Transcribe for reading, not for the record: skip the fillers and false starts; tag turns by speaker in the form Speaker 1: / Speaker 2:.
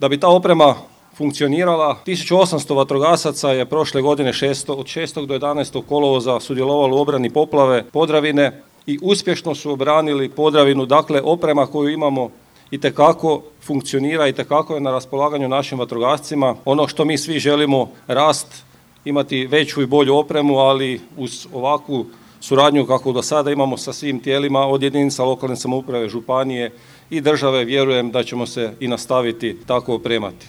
Speaker 1: Da bi ta oprema funkcionirala, 1800 vatrogasaca je prošle godine od 6. do 11. kolovoza sudjelovalo u obrani poplave Podravine i uspješno su obranili Podravinu. Dakle, oprema koju imamo itekako funkcionira, itekako je na raspolaganju našim vatrogascima. Ono što mi svi želimo, rast, imati veću i bolju opremu, ali uz ovakvu suradnju kako do sada imamo sa svim tijelima od jedinica lokalne samouprave, županije i države, vjerujem da ćemo se i nastaviti tako opremati.